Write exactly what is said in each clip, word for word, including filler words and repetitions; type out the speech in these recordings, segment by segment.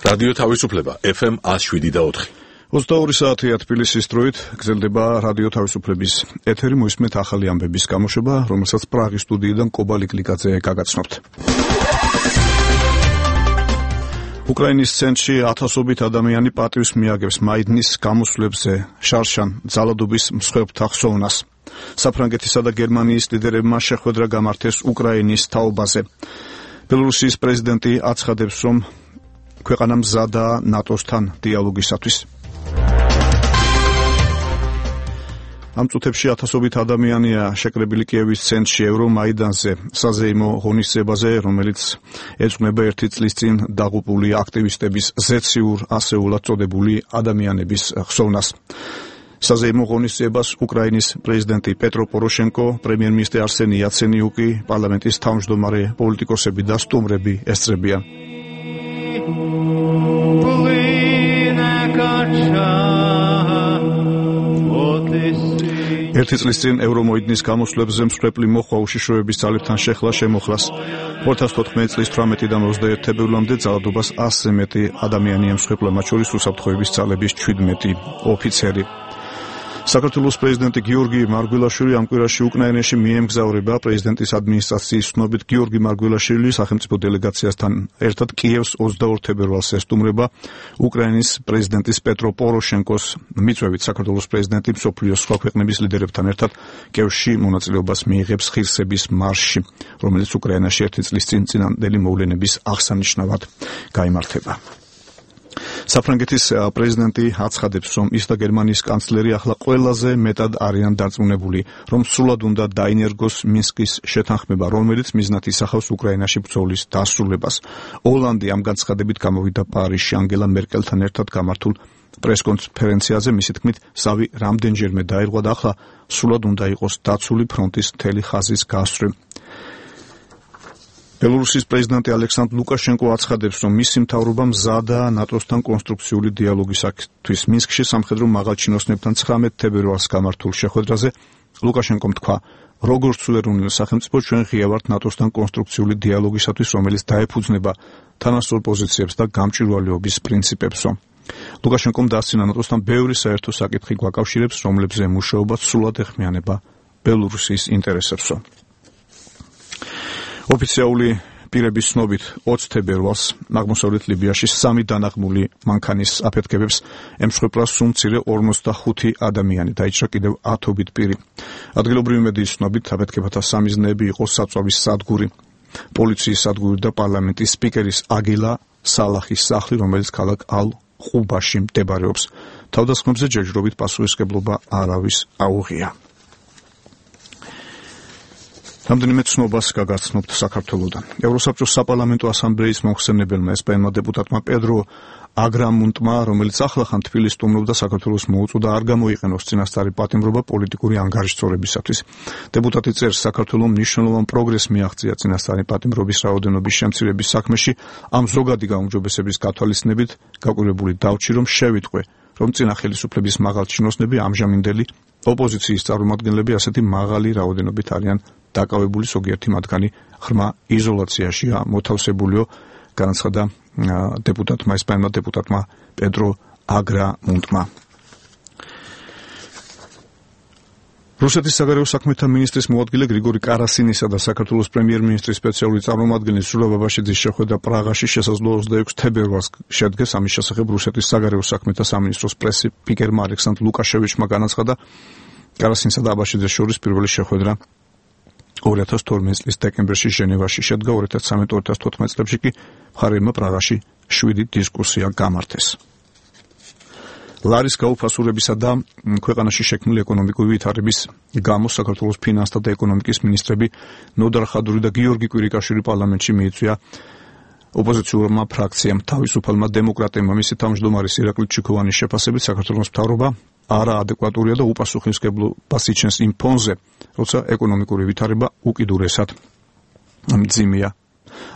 რადიო თავისუფლება ეფ ემ one oh seven და four. ოცდაორი საათია თბილისის დროით გრძელდება რადიო თავისუფლების ეთერი. მოისმენთ ახალი ამბების გამოშვება, რომელსაც პრაღის სტუდიიდან კობა ლიკლიკაძე გაგაცნობთ. უკრაინის ცენტრში ათასობით ადამიანი პატივს მიაგებს მაიდნის გამოსვლებზე შარშან ძალადობის მსხვერპლთა ხსოვნას. საფრანგეთისა და გერმანიის ლიდერებმა შეხვედრა გამართეს უკრაინის თაობაზე. ბელორუსიის პრეზიდენტი აცხადებს, რომ ქვეყანა მზადაა ნატოსთან დიალოგისათვის. ამ წუთებში ათასობით ადამიანია შეკრებილი კიევის ცენტრში ევრომაიდანზე, საზეიმო ღონისძიებაზე, რომელიც ეძღვნება ერთი წლის წინ დაღუპული აქტივისტების ზეციურ ასეულად წოდებული ადამიანების ხსოვნას. საზეიმო ღონისძიებას უკრაინის პრეზიდენტი პეტრო პოროშენკო, პრემიერ-მინისტრი არსენი იაცენიუკი, პარლამენტის თავმჯდომარე პოლიტიკოსები და სტუმრები ესწრებიან. ერთი წლის წინ ევრომოიდნის გამოსვლებზე მსხვერპლი მოხვა უშიშროების ძალებთან შეხლა შემოხლას. ორი ათას თოთხმეტი წლის თვრამეტიდან ოცდაერთი თებერვლამდე ძალადობას ასზე მეტი ადამიანი ემსხვერპლა, მათ შორის უსაფრთხოების ძალების ჩვიდმეტი ოფიცერი. საქართველოს პრეზიდენტი გიორგი მარგველაშვილი ამ კვირაში უკრაინაში მიემგზავრება. პრეზიდენტის ადმინისტრაციის ცნობით გიორგი მარგველაშვილი სახელმწიფო დელეგაციასთან ერთად კიევს ოცდაორ თებერვალს ესტუმრება. უკრაინის პრეზიდენტის პეტრო პოროშენკოს მიწვევით საქართველოს პრეზიდენტი მსოფლიოს სხვა ქვეყნების ლიდერებთან ერთად კიევში მონაწილეობას მიიღებს ღირსების მარშში, რომელიც უკრაინაში ერთი წლის წინ წინანდელი მოვლენების აღსანიშნავად გაიმართება. საფრანგეთის პრეზიდენტი აცხადებს, რომ ის და გერმანიის კანცლერი ახლა ყველაზე მეტად არიან დარწმუნებული, რომ სრულად უნდა დაინერგოს მინსკის შეთანხმება, რომელიც მიზნად ისახავს უკრაინაში ბრძოლის დასრულებას. ოლანდი ამ განცხადებით გამოვიდა პარიზში ანგელა მერკელთან ერთად გამართულ პრესკონფერენციაზე. მისი თქმით, ზავი რამდენჯერმე დაირღვა და ახლა სრულად უნდა იყოს დაცული ფრონტის მთელი ხაზის გასწვრივ. ბელორუსიის პრეზიდენტი ალექსანდრ ლუკაშენკო აცხადებს, რომ მისი მთავრობა მზადაა ნატოსთან კონსტრუქციული დიალოგისათვის. მინსკში სამხედრო მაღალჩინოსნებთან ცხრამეტ თებერვალს გამართულ შეხვედრაზე ლუკაშენკომ თქვა, როგორც სუვერენული სახელმწიფო ჩვენ ღია ვართ ნატოსთან კონსტრუქციული დიალოგისათვის, რომელიც დაეფუძნება თანასწორ პოზიციებს და გამჭვირვალეობის პრინციპებსო. ლუკაშენკომ დასცინა ნატოსთან ბევრი საერთო საკითხი გვაკავშირებს, რომლებზე მუშაობა სრულად ეხმიანება ბელორუსიის ინტერესებსო. ოფიციალური პირების ცნობით ოცი თებერვალს აღმოსავლეთ ლიბიაში სამი დანაღმული მანქანის აფეთქებებს ემსხვერპლა სულ მცირე ორმოცდახუთი ადამიანი, დაიჭრა კიდევ ათობით პირი. ადგილობრივი მედიის ცნობით აფეთქებათა სამიზნეები იყო საწვავის სადგური, პოლიციის სადგური და პარლამენტის სპიკერის აგილა სალახის სახლი, რომელიც ქალაქ ალ-ყუბაში მდებარეობს. თავდასხმებზე ჯერჯერობით პასუხისმგებლობა არავის აუღია. რამდენიმე ცნობას გაგაცნობთ საქართველოდან. ევროსაბჭოს საპარლამენტო ასამბლეის მომხსენებელმა ესპანელმა დეპუტატმა პედრო აგრამუნტმა, რომელიც ახლახან თბილისს სტუმრობდა, საქართველოს მოუწოდა არ გამოიყენოს წინასწარი პატიმრობა პოლიტიკური ანგარიშწორებისათვის. დეპუტატი წერს, საქართველოს მნიშვნელოვან პროგრესს მიაღწია წინასწარი პატიმრობის რაოდენობის შემცირების საქმეში. ამ ზოგადი გაუმჯობესების გათვალისწინებით გაკვირვებული დავჭი, რომ შევიტყვე, რომ წინა ხელისუფლების მაღალჩინოსნები, ამჟამინდელი ოპოზიციის წარმომადგენლები ასეთი მაღალი რაოდენობით არიან დაკავებული, ზოგიერთი მათგანი ღრმა იზოლაციაშია მოთავსებულიო, განაცხადა დეპუტატმა, ესპანელმა დეპუტატმა პედრო აგრამუნტმა. რუსეთის საგარეო საქმეთა მინისტრის მოადგილე გრიგორი კარასინისა და საქართველოს პრემიერ-მინისტრის სპეციალური წარმომადგენლის ზურაბ ბაბაშიძის შეხვედრა პრაღაში შესაძლოა ოცდაექვსი თებერვალს შედგეს. ამის შესახებ რუსეთის საგარეო საქმეთა სამინისტროს პრეს-სპიკერმა ალექსანდრ ლუკაშევიჩმა განაცხადა, კარასინსა და ბაბაშიძეს შორის პირველი შეხვედრა ორი ათას თორმეტი წლის დეკემბერში ჟენევაში შედგა. ორი ათას ცხრამეტ ორი ათას თოთხმეტ წლებში კი მხარეებმა პრაღაში შვიდი დისკუსია გამართეს. ლარის გაუფასურებისა და ქვეყანაში შექმნილი ეკონომიკური ვითარების გამო საქართველოს ფინანსთა და ეკონომიკის მინისტრები ნოდარ ხადური და გიორგი კვირიკაშვილი პარლამენტში მიიწვია ოპოზიციურმა ფრაქციამ. თავისუფალმა დემოკრატებმა მისი თავმჯდომარის ირაკლი ჩიქოვანის შეფასებით საქართველოს მთავრობა არაადეკვატურია და უპასუხისმგებლობას იჩენს იმ ფონზე, როცა ეკონომიკური ვითარება უკიდურესად მძიმეა.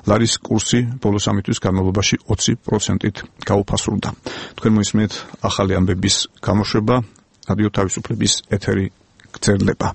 ლარის კურსი ბოლო სამი თვის განმავლობაში ოცი პროცენტით გაუფასურდა. თქვენ მოისმენთ ახალი ამბების გამოშვება, რადიო თავისუფლების ეთერი გრძელდება.